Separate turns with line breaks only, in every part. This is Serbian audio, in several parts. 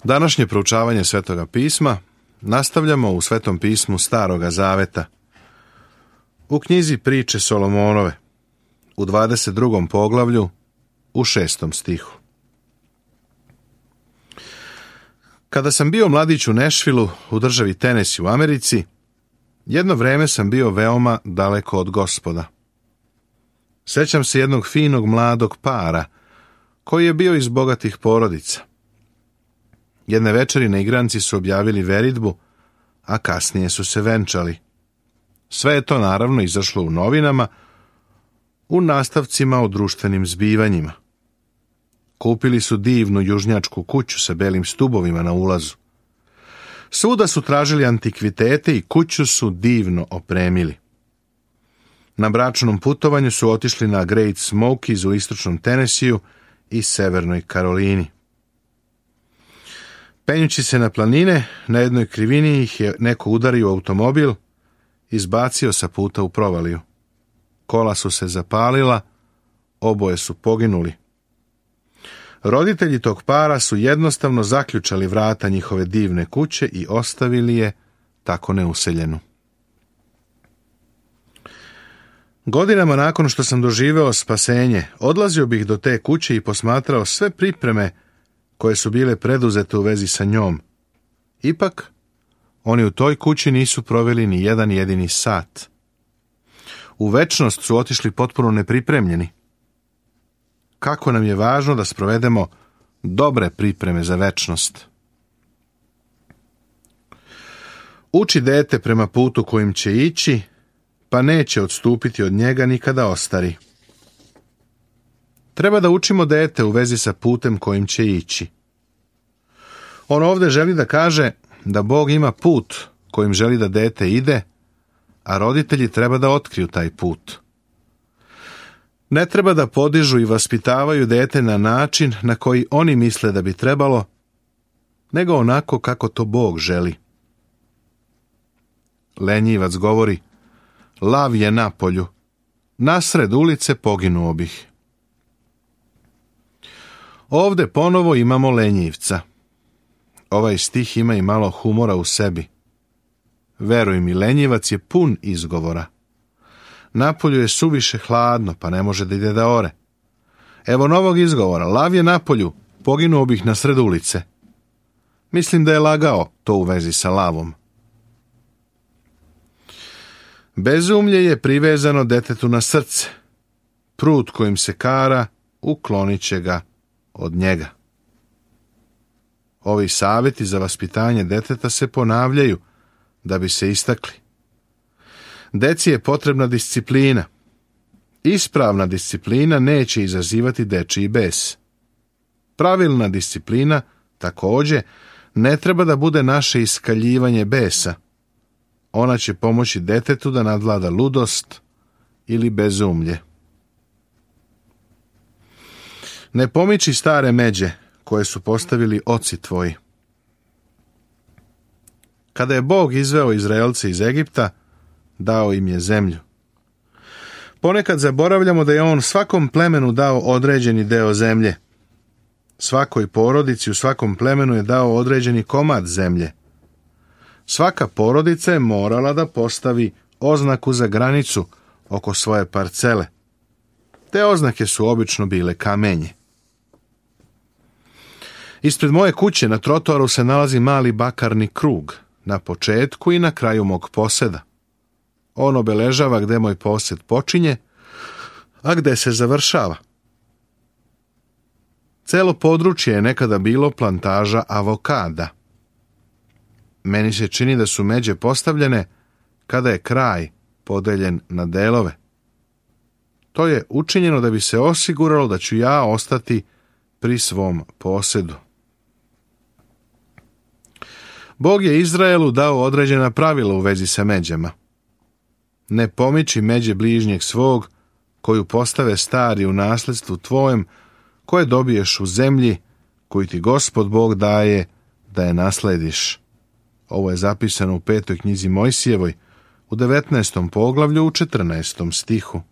Današnje proučavanje Svetoga pisma nastavljamo u Svetom pismu Staroga Zaveta. U knjizi Priče Solomonove, u 22. poglavlju, u 6. stihu. Kada sam bio mladić u Nešvilu, u državi Tenesi u Americi, jedno vreme sam bio veoma daleko od Gospoda. Sećam se jednog finog mladog para, koji je bio iz bogatih porodica. Jedne večeri na igranci su objavili veridbu, a kasnije su se venčali. Sve je to naravno izašlo u novinama, u nastavcima o društvenim zbivanjima. Kupili su divnu južnjačku kuću sa belim stubovima na ulazu. Svuda su tražili antikvitete i kuću su divno opremili. Na bračnom putovanju su otišli na Great Smokies u istočnom Tenesiju i severnoj Karolini. Penjući se na planine, na jednoj krivini ih je neko udario automobil, izbacio sa puta u provaliju. Kola su se zapalila, oboje su poginuli. Roditelji tog para su jednostavno zaključali vrata njihove divne kuće i ostavili je tako neuseljenu. Godinama nakon što sam doživeo spasenje, odlazio bih do te kuće i posmatrao sve pripreme koje su bile preduzete u vezi sa njom. Ipak, oni u toj kući nisu proveli ni jedan jedini sat. U večnost su otišli potpuno nepripremljeni. Kako nam je važno da sprovedemo dobre pripreme za večnost. Uči dete prema putu kojim će ići, pa neće odstupiti od njega ni kada ostari. Treba da učimo dete u vezi sa putem kojim će ići. On ovdje želi da kaže da Bog ima put kojim želi da dete ide, a roditelji treba da otkriju taj put. Ne treba da podižu i vaspitavaju dete na način na koji oni misle da bi trebalo, nego onako kako to Bog želi. Lenjivac govori: lav je na polju, nasred ulice poginuo bih. Ovdje ponovo imamo lenjivca. Ovaj stih ima i malo humora u sebi. Veruj mi, lenjivac je pun izgovora. Napolju je suviše hladno, pa ne može da ide da ore. Evo novog izgovora: lav je napolju, poginuo bih na sred ulice. Mislim da je lagao to u vezi sa lavom. Bezumlje je privezano detetu na srce. Prut kojim se kara, uklonit će ga od njega. Ovi savjeti za vaspitanje deteta se ponavljaju da bi se istakli. Deci je potrebna disciplina. Ispravna disciplina neće izazivati dečiji bes. Pravilna disciplina, također, ne treba da bude naše iskaljivanje besa. Ona će pomoći detetu da nadvlada ludost ili bezumlje. Ne pomiči stare međe koje su postavili oci tvoji. Kada je Bog izveo Izraelce iz Egipta, dao im je zemlju. Ponekad zaboravljamo da je on svakom plemenu dao određeni deo zemlje. Svakoj porodici u svakom plemenu je dao određeni komad zemlje. Svaka porodica je morala da postavi oznaku za granicu oko svoje parcele. Te oznake su obično bile kamenje. Ispred moje kuće na trotoaru se nalazi mali bakarni krug, na početku i na kraju mog poseda. On obeležava gde moj posed počinje, a gde se završava. Celo područje je nekada bilo plantaža avokada. Meni se čini da su međe postavljene kada je kraj podeljen na delove. To je učinjeno da bi se osiguralo da ću ja ostati pri svom posedu. Bog je Izraelu dao određena pravila u vezi sa međama. Ne pomiči međe bližnjeg svog, koju postave stari u nasledstvu tvojem, koje dobiješ u zemlji, koju ti Gospod Bog daje da je naslediš. Ovo je zapisano u 5. knjizi Mojsijevoj, u 19. poglavlju, u 14. stihu.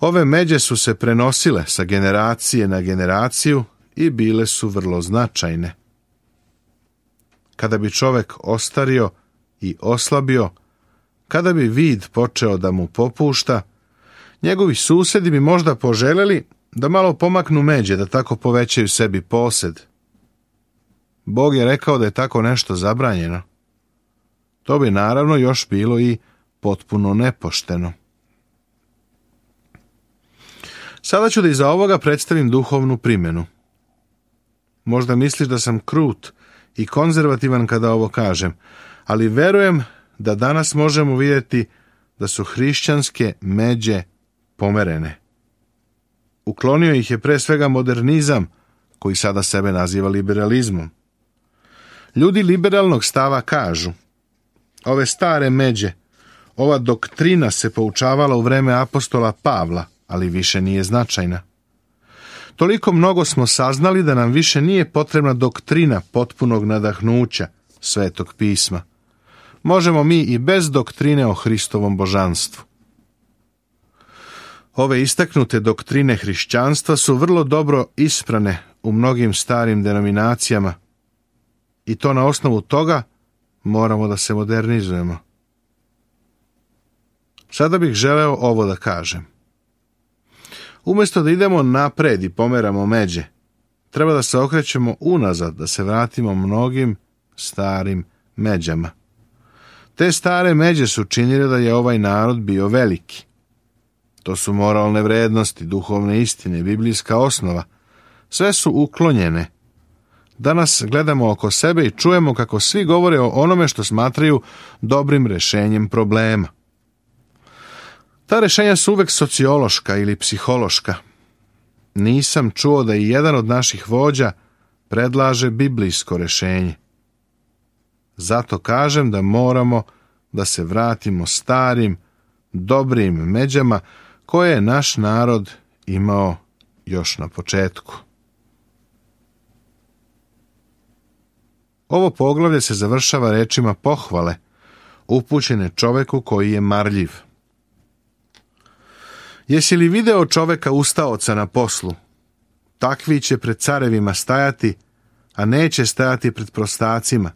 Ove međe su se prenosile sa generacije na generaciju i bile su vrlo značajne. Kada bi čovek ostario i oslabio, kada bi vid počeo da mu popušta, njegovi susedi bi možda poželjeli da malo pomaknu međe, da tako povećaju sebi posed. Bog je rekao da je tako nešto zabranjeno. To bi naravno još bilo i potpuno nepošteno. Sada ću da iza ovoga predstavim duhovnu primjenu. Možda misliš da sam krut i konzervativan kada ovo kažem, ali verujem da danas možemo vidjeti da su hrišćanske međe pomerene. Uklonio ih je pre svega modernizam, koji sada sebe naziva liberalizmom. Ljudi liberalnog stava kažu: ove stare međe, ova doktrina se poučavala u vreme apostola Pavla, ali više nije značajna. Toliko mnogo smo saznali da nam više nije potrebna doktrina potpunog nadahnuća Svetog pisma. Možemo mi i bez doktrine o Hristovom božanstvu. Ove istaknute doktrine hrišćanstva su vrlo dobro isprane u mnogim starim denominacijama i to na osnovu toga moramo da se modernizujemo. Sada bih želeo ovo da kažem. Umjesto da idemo napred i pomeramo međe, treba da se okrećemo unazad, da se vratimo mnogim starim međama. Te stare međe su činile da je ovaj narod bio veliki. To su moralne vrednosti, duhovne istine, biblijska osnova. Sve su uklonjene. Danas gledamo oko sebe i čujemo kako svi govore o onome što smatraju dobrim rešenjem problema. Ta rešenja su uvek sociološka ili psihološka. Nisam čuo da i jedan od naših vođa predlaže biblijsko rešenje. Zato kažem da moramo da se vratimo starim, dobrim međama koje je naš narod imao još na početku. Ovo poglavlje se završava rečima pohvale, upućene čoveku koji je marljiv. Jesi li video čoveka ustaoca na poslu? Takvi će pred carevima stajati, a neće stajati pred prostacima.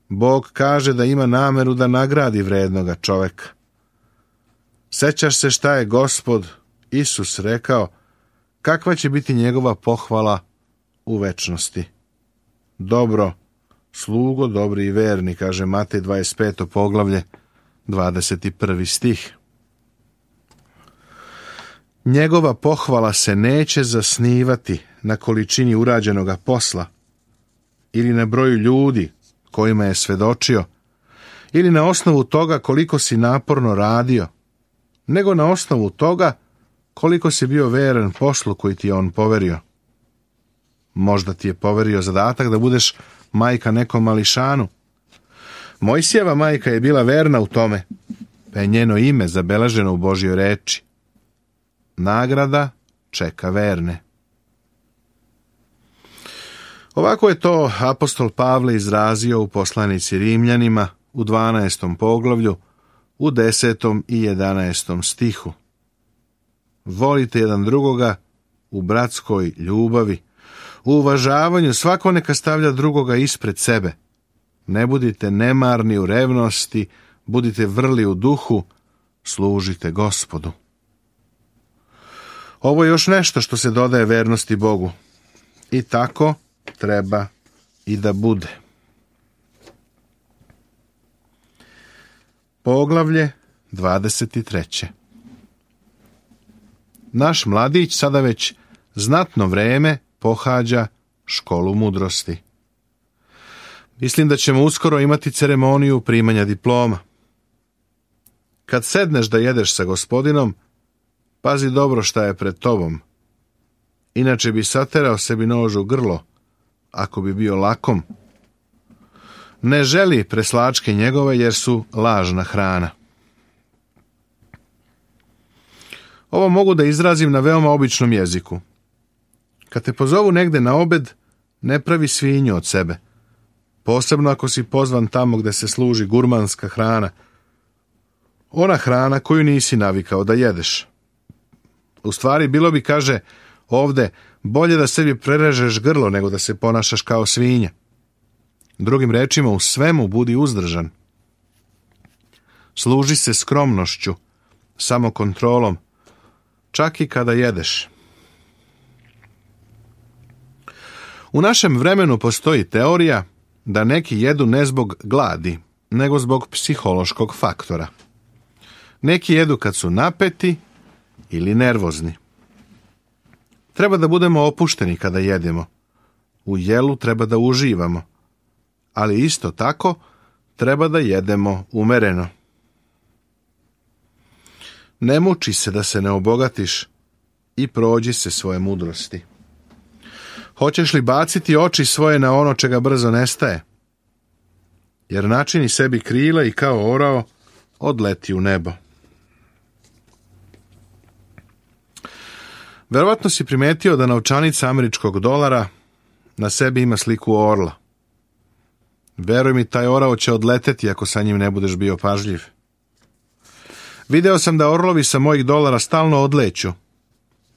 Bog kaže da ima nameru da nagradi vrednoga čoveka. Sećaš se šta je Gospod Isus rekao, kakva će biti njegova pohvala u večnosti. Dobro, slugo, dobri i verni, kaže Matej 25. poglavlje, 21. stih. Njegova pohvala se neće zasnivati na količini urađenoga posla ili na broju ljudi kojima je svedočio ili na osnovu toga koliko si naporno radio, nego na osnovu toga koliko si bio veran poslu koji ti je on poverio. Možda ti je poverio zadatak da budeš majka nekom mališanu. Mojsijeva majka je bila verna u tome, pa je njeno ime zabeleženo u Božjoj reči. Nagrada čeka verne. Ovako je to apostol Pavle izrazio u poslanici Rimljanima u 12. poglavlju, u 10. i 11. stihu. Volite jedan drugoga u bratskoj ljubavi, u uvažavanju svako neka stavlja drugoga ispred sebe. Ne budite nemarni u revnosti, budite vrli u duhu, služite Gospodu. Ovo je još nešto što se dodaje vernosti Bogu. I tako treba i da bude. Poglavlje 23. Naš mladić sada već znatno vreme pohađa školu mudrosti. Mislim da ćemo uskoro imati ceremoniju primanja diploma. Kad sedneš da jedeš sa Gospodinom, pazi dobro šta je pred tobom. Inače bi saterao sebi nož u grlo, ako bi bio lakom. Ne želi preslačke njegove jer su lažna hrana. Ovo mogu da izrazim na veoma običnom jeziku. Kad te pozovu negde na obed, ne pravi svinju od sebe. Posebno ako si pozvan tamo gde se služi gurmanska hrana. Ona hrana koju nisi navikao da jedeš. U stvari bilo bi, kaže, ovde Bolje da sebi prerežeš grlo nego da se ponašaš kao svinja. Drugim rečima, u svemu budi uzdržan. Služi se skromnošću, samokontrolom, čak i kada jedeš. U našem vremenu postoji teorija da neki jedu ne zbog gladi, nego zbog psihološkog faktora. Neki jedu kad su napeti ili nervozni. Treba da budemo opušteni kada jedemo. U jelu treba da uživamo, ali isto tako treba da jedemo umereno. Ne muči se da se ne obogatiš i prođi se svoje mudrosti. Hoćeš li baciti oči svoje na ono čega brzo nestaje? Jer načini sebi krila i kao orao odleti u nebo. Verovatno si primetio da novčanica američkog dolara na sebi ima sliku orla. Veruj mi, taj orao će odleteti ako sa njim ne budeš bio pažljiv. Video sam da orlovi sa mojih dolara stalno odleću.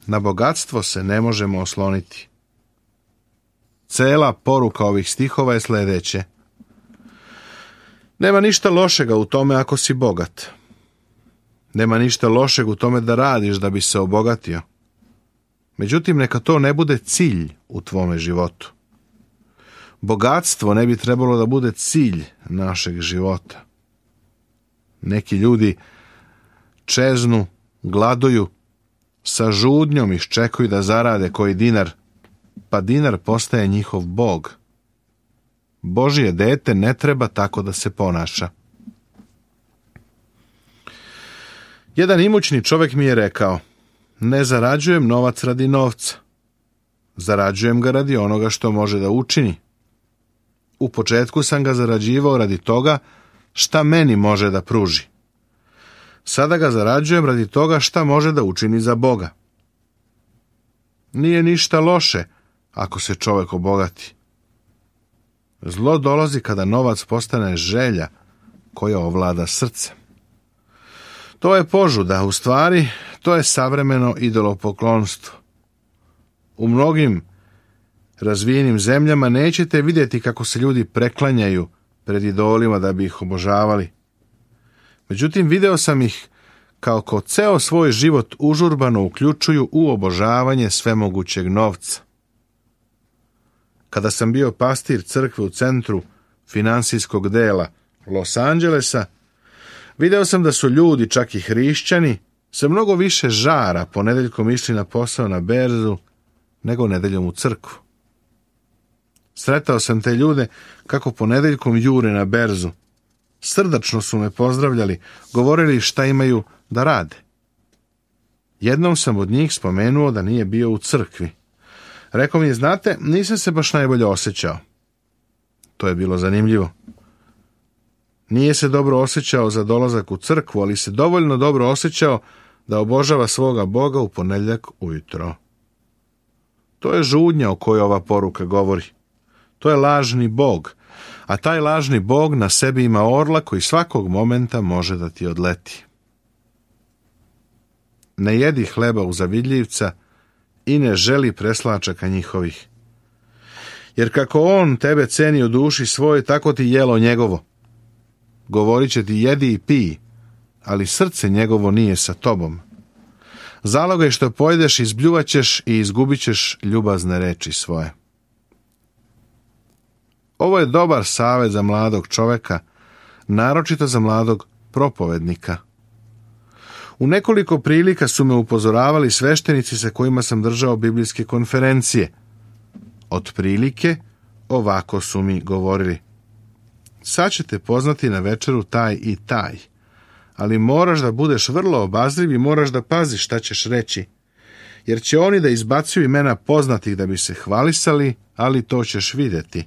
Na bogatstvo se ne možemo osloniti. Cela poruka ovih stihova je sledeće. Nema ništa lošega u tome ako si bogat. Nema ništa lošeg u tome da radiš da bi se obogatio. Međutim, neka to ne bude cilj u tvome životu. Bogatstvo ne bi trebalo da bude cilj našeg života. Neki ljudi čeznu, gladuju, sa žudnjom iščekuju da zarade koji dinar, pa dinar postaje njihov bog. Božje dete ne treba tako da se ponaša. Jedan imućni čovjek mi je rekao, ne zarađujem novac radi novca. Zarađujem ga radi onoga što može da učini. U početku sam ga zarađivao radi toga šta meni može da pruži. Sada ga zarađujem radi toga šta može da učini za Boga. Nije ništa loše ako se čovjek obogati. Zlo dolazi kada novac postane želja koja ovlada srcem. To je požuda, u stvari, to je savremeno idolopoklonstvo. U mnogim razvijenim zemljama nećete vidjeti kako se ljudi preklanjaju pred idolima da bi ih obožavali. Međutim, video sam ih kako ceo svoj život užurbano uključuju u obožavanje svemogućeg novca. Kada sam bio pastir crkve u centru finansijskog dela Los Angelesa, video sam da su ljudi, čak i hrišćani, sa mnogo više žara ponedeljkom išli na posao na berzu nego nedeljom u crkvu. Sretao sam te ljude kako ponedeljkom jure na berzu. Srdačno su me pozdravljali, govorili šta imaju da rade. Jednom sam od njih spomenuo da nije bio u crkvi. Rekao mi, znate, nisam se baš najbolje osjećao. To je bilo zanimljivo. Nije se dobro osjećao za dolazak u crkvu, ali se dovoljno dobro osjećao da obožava svoga Boga u ponedjeljak ujutro. To je žudnja o kojoj ova poruka govori. To je lažni Bog, a taj lažni Bog na sebi ima orla koji svakog momenta može da ti odleti. Ne jedi hleba uzavidljivca i ne želi preslačaka njihovih. Jer kako on tebe ceni u duši svojoj, tako ti jelo njegovo. Govorit će ti jedi i pij, ali srce njegovo nije sa tobom. Zalogaj što pojedeš, izbljuvaćeš i izgubit ćeš ljubazne reči svoje. Ovo je dobar savjet za mladog čovjeka, naročito za mladog propovednika. U nekoliko prilika su me upozoravali sveštenici sa kojima sam držao biblijske konferencije. Otprilike, ovako su mi govorili. Sad ćete poznati na večeru taj i taj, ali moraš da budeš vrlo obazriv i moraš da paziš šta ćeš reći, jer će oni da izbacuju imena poznatih da bi se hvalisali, ali to ćeš vidjeti.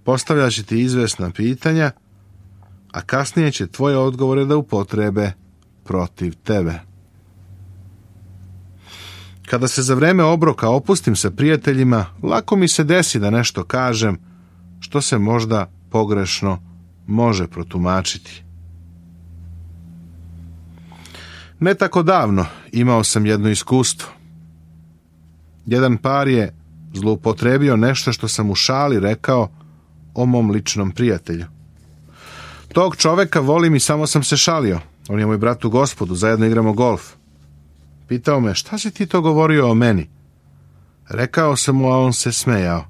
Postavljat će ti izvesna pitanja, a kasnije će tvoje odgovore da upotrebe protiv tebe. Kada se za vreme obroka opustim sa prijateljima, lako mi se desi da nešto kažem što se možda pogrešno može protumačiti. Ne tako davno imao sam jedno iskustvo. Jedan par je zloupotrebio nešto što sam u šali rekao o mom ličnom prijatelju. Tog čoveka volim i samo sam se šalio. On je moj brat u Gospodu, zajedno igramo golf. Pitao me, šta si ti to govorio o meni? Rekao sam mu, a on se smejao.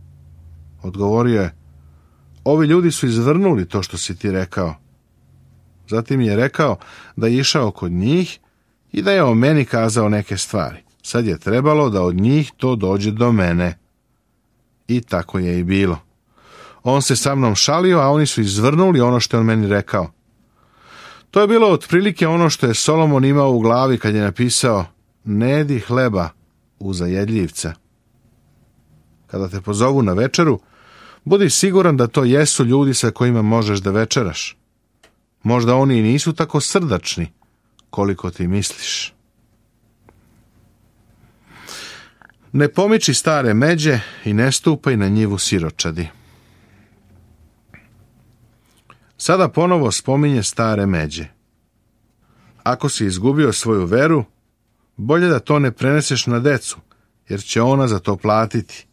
Odgovorio je, ovi ljudi su izvrnuli to što si ti rekao. Zatim je rekao da je išao kod njih i da je o meni kazao neke stvari. Sad je trebalo da od njih to dođe do mene. I tako je i bilo. On se sa mnom šalio, a oni su izvrnuli ono što je on meni rekao. To je bilo otprilike ono što je Solomon imao u glavi kad je napisao ne jedi hleba u zajedljivca. Kada te pozovu na večeru, budi siguran da to jesu ljudi sa kojima možeš da večeraš. Možda oni i nisu tako srdačni koliko ti misliš. Ne pomiči stare međe i ne stupaj na njivu siročadi. Sada ponovo spominje stare međe. Ako si izgubio svoju veru, bolje da to ne preneseš na decu, jer će ona za to platiti.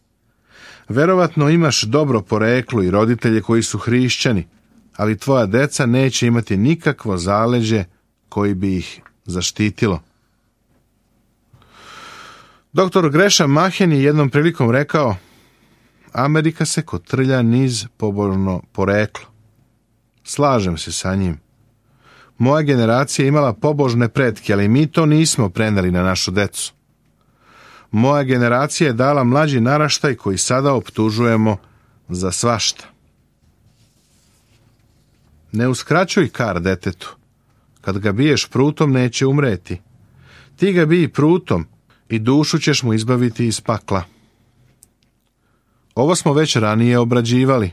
Verovatno imaš dobro poreklo i roditelje koji su hrišćani, ali tvoja deca neće imati nikakvo zaleđe koji bi ih zaštitilo. Dr. Gresham Machen je jednom prilikom rekao, Amerika se kotrlja niz pobožno poreklo. Slažem se sa njim. Moja generacija je imala pobožne pretke, ali mi to nismo preneli na našu decu. Moja generacija je dala mlađi naraštaj koji sada optužujemo za svašta. Ne uskraćuj kar detetu. Kad ga biješ prutom, neće umreti. Ti ga bij prutom i dušu ćeš mu izbaviti iz pakla. Ovo smo već ranije obrađivali.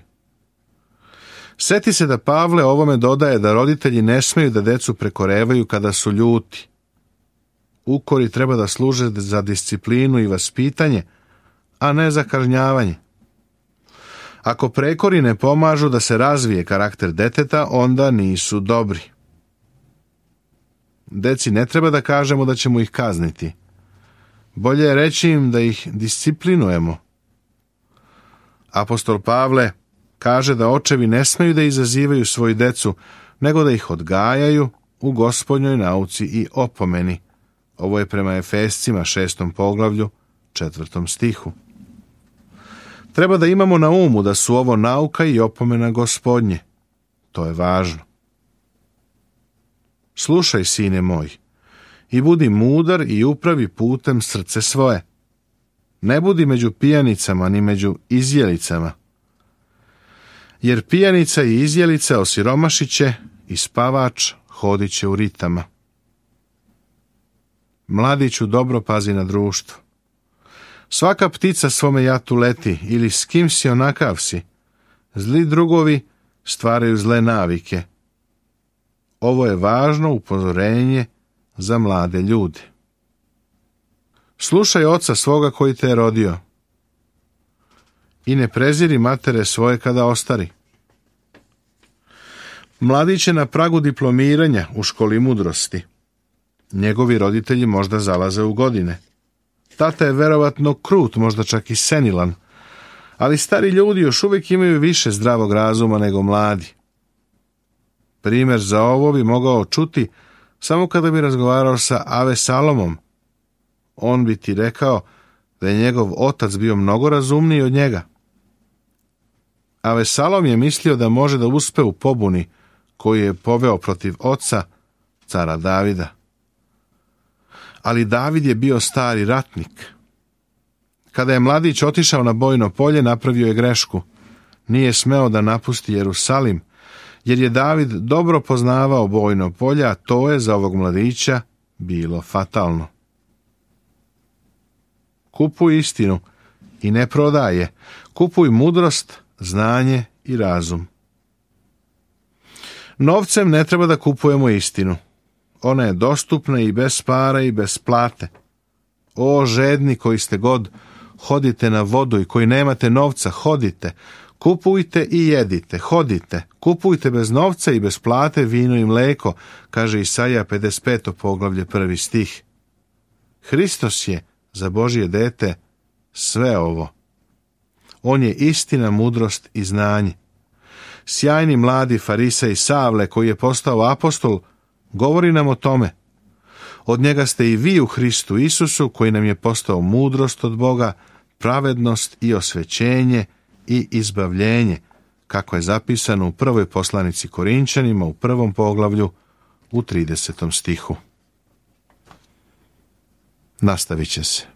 Seti se da Pavle ovome dodaje da roditelji ne smeju da decu prekorevaju kada su ljuti. Ukori treba da služe za disciplinu i vaspitanje, a ne za kažnjavanje. Ako prekori ne pomažu da se razvije karakter deteta, onda nisu dobri. Deci ne treba da kažemo da ćemo ih kazniti. Bolje je reći im da ih disciplinujemo. Apostol Pavle kaže da očevi ne smeju da izazivaju svoju decu, nego da ih odgajaju u Gospodnjoj nauci i opomeni. Ovo je prema Efescima 6. poglavlju 4. stihu. Treba da imamo na umu da su ovo nauka i opomena Gospodnje. To je važno. Slušaj, sine moj, i budi mudar i upravi putem srce svoje. Ne budi među pijanicama ni među izjelicama. Jer pijanica i izjelica osiromašiće i spavač hodit će u ritama. Mladiću, dobro pazi na društvo. Svaka ptica svome jatu leti, ili s kim si onakav si. Zli drugovi stvaraju zle navike. Ovo je važno upozorenje za mlade ljude. Slušaj oca svoga koji te je rodio i ne preziri matere svoje kada ostari. Mladić je na pragu diplomiranja u školi mudrosti. Njegovi roditelji možda zalaze u godine. Tata je verovatno krut, možda čak i senilan, ali stari ljudi još uvijek imaju više zdravog razuma nego mladi. Primjer za ovo bi mogao čuti samo kada bi razgovarao sa Avesalomom. On bi ti rekao da je njegov otac bio mnogo razumniji od njega. Avesalom je mislio da može da uspe u pobuni koju je poveo protiv oca, cara Davida. Ali David je bio stari ratnik. Kada je mladić otišao na bojno polje, napravio je grešku. Nije smeo da napusti Jerusalim, jer je David dobro poznavao bojno polje, a to je za ovog mladića bilo fatalno. Kupuj istinu i ne prodaj je. Kupuj mudrost, znanje i razum. Novcem ne treba da kupujemo istinu. Ona je dostupna i bez para i bez plate. O žedni koji ste god, hodite na vodu i koji nemate novca, hodite. Kupujte i jedite, hodite. Kupujte bez novca i bez plate vino i mleko, kaže Isaija 55. poglavlje 1. stih. Hristos je za Božje dete sve ovo. On je istina, mudrost i znanje. Sjajni mladi farisej Savle, koji je postao apostol, govori nam o tome. Od njega ste i vi u Hristu Isusu, koji nam je postao mudrost od Boga, pravednost i osvećenje i izbavljenje, kako je zapisano u prvoj poslanici Korinčanima u 1. poglavlju u 30. stihu. Nastavit će se.